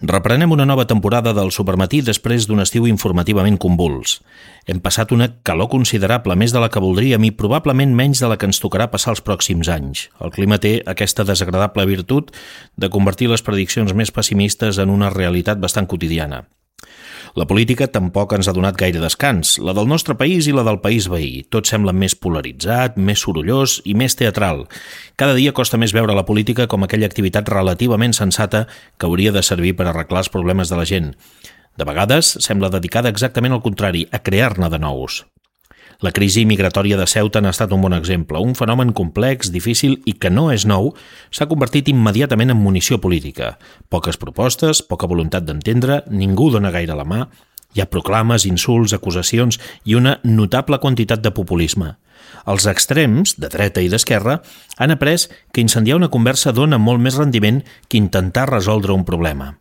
Reprenem una nova temporada del Supermatí després d'un estiu informativament convuls. Hem passat una calor considerable, més de la que voldríem i probablement menys de la que ens tocarà passar els pròxims anys. El clima té aquesta desagradable virtut de convertir les prediccions més pessimistes en una realitat bastant quotidiana. La política tampoc ens ha donat gaire descans, la del nostre país i la del país veí. Tot sembla més polaritzat, més sorollós i més teatral. Cada dia costa més veure la política com aquella activitat relativament sensata que hauria de servir per arreglar els problemes de la gent. De vegades sembla dedicada exactament al contrari, a crear-ne de nous. La crisi migratòria de Ceuta n'ha estat un bon exemple. Un fenomen complex, difícil i que no és nou, s'ha convertit immediatament en munició política. Poques propostes, poca voluntat d'entendre, ningú dona gaire la mà, hi ha proclames, insults, acusacions i una notable quantitat de populisme. Els extrems, de dreta i d'esquerra, han après que incendiar una conversa dona molt més rendiment que intentar resoldre un problema.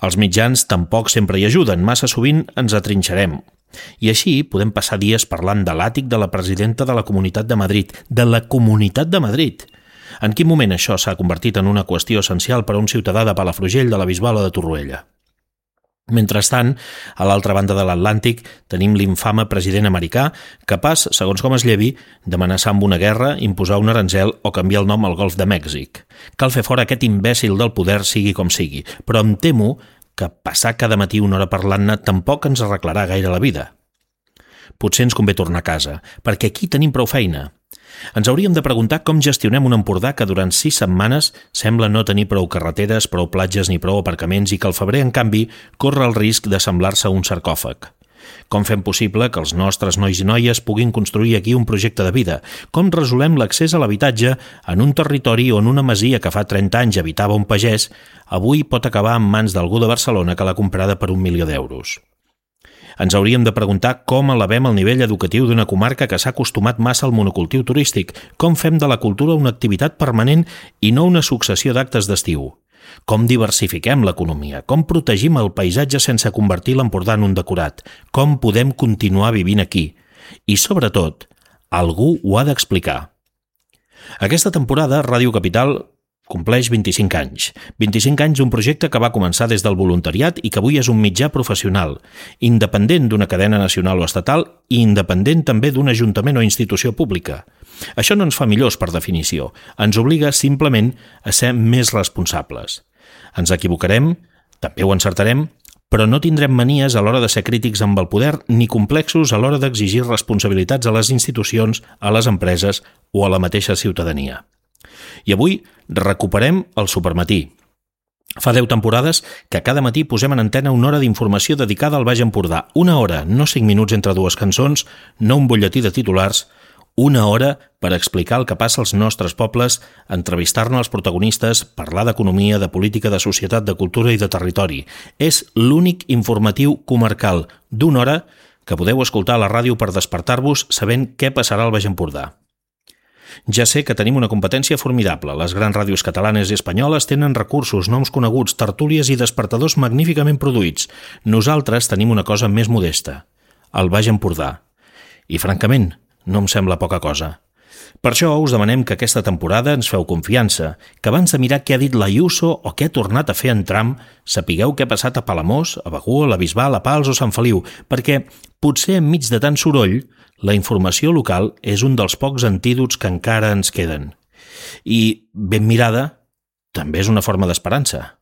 Els mitjans tampoc sempre hi ajuden, massa sovint ens atrinxerem. I així podem passar dies parlant de l'àtic de la presidenta de la Comunitat de Madrid, de la Comunitat de Madrid. En quin moment això s'ha convertit en una qüestió essencial per a un ciutadà de Palafrugell, de la Bisbal o de Torroella? Mentrestant, a l'altra banda de l'Atlàntic tenim l'infame president americà capaç, segons com es llevi, d'amenaçar amb una guerra, imposar un aranzel o canviar el nom al Golf de Mèxic. Cal fer fora aquest imbècil del poder sigui com sigui, però em temo que passar cada matí una hora parlant-ne tampoc ens arreglarà gaire la vida. Potser ens convé tornar a casa, perquè aquí tenim prou feina. Ens hauríem de preguntar com gestionem un Empordà que durant 6 setmanes sembla no tenir prou carreteres, prou platges ni prou aparcaments i que al febrer, en canvi, corre el risc de semblar-se a un sarcòfag. Com fem possible que els nostres nois i noies puguin construir aquí un projecte de vida? Com resolem l'accés a l'habitatge en un territori on una masia que fa 30 anys habitava un pagès avui pot acabar en mans d'algú de Barcelona que l'ha comprada per 1 milió d'euros? Ens hauríem de preguntar com elevem el nivell educatiu d'una comarca que s'ha acostumat massa al monocultiu turístic, com fem de la cultura una activitat permanent i no una successió d'actes d'estiu, com diversifiquem l'economia, com protegim el paisatge sense convertir l'Empordà en un decorat, com podem continuar vivint aquí. I, sobretot, algú ho ha d'explicar. Aquesta temporada, Ràdio Capital compleix 25 anys. 25 anys d'un projecte que va començar des del voluntariat i que avui és un mitjà professional, independent d'una cadena nacional o estatal i independent també d'un ajuntament o institució pública. Això no ens fa millors per definició, ens obliga simplement a ser més responsables. Ens equivocarem, també ho encertarem, però no tindrem manies a l'hora de ser crítics amb el poder ni complexos a l'hora d'exigir responsabilitats a les institucions, a les empreses o a la mateixa ciutadania. I avui recuperem el Supermatí. Fa 10 temporades que cada matí posem en antena una hora d'informació dedicada al Baix Empordà. Una hora, no 5 minuts entre dues cançons, no un butlletí de titulars, una hora per explicar el que passa als nostres pobles, entrevistar-ne als protagonistes, parlar d'economia, de política, de societat, de cultura i de territori. És l'únic informatiu comarcal d'una hora que podeu escoltar a la ràdio per despertar-vos sabent què passarà al Baix Empordà. Ja sé que tenim una competència formidable. Les grans ràdios catalanes i espanyoles tenen recursos, noms coneguts, tertúlies i despertadors magníficament produïts. Nosaltres tenim una cosa més modesta, el Baix Empordà. I, francament, no em sembla poca cosa. Per això us demanem que aquesta temporada ens feu confiança, que abans de mirar què ha dit l'Ayuso o què ha tornat a fer en Trump, sapigueu què ha passat a Palamós, a Begur, a la Bisbal, a Pals o Sant Feliu, perquè potser enmig de tant soroll la informació local és un dels pocs antídots que encara ens queden. I, ben mirada, també és una forma d'esperança.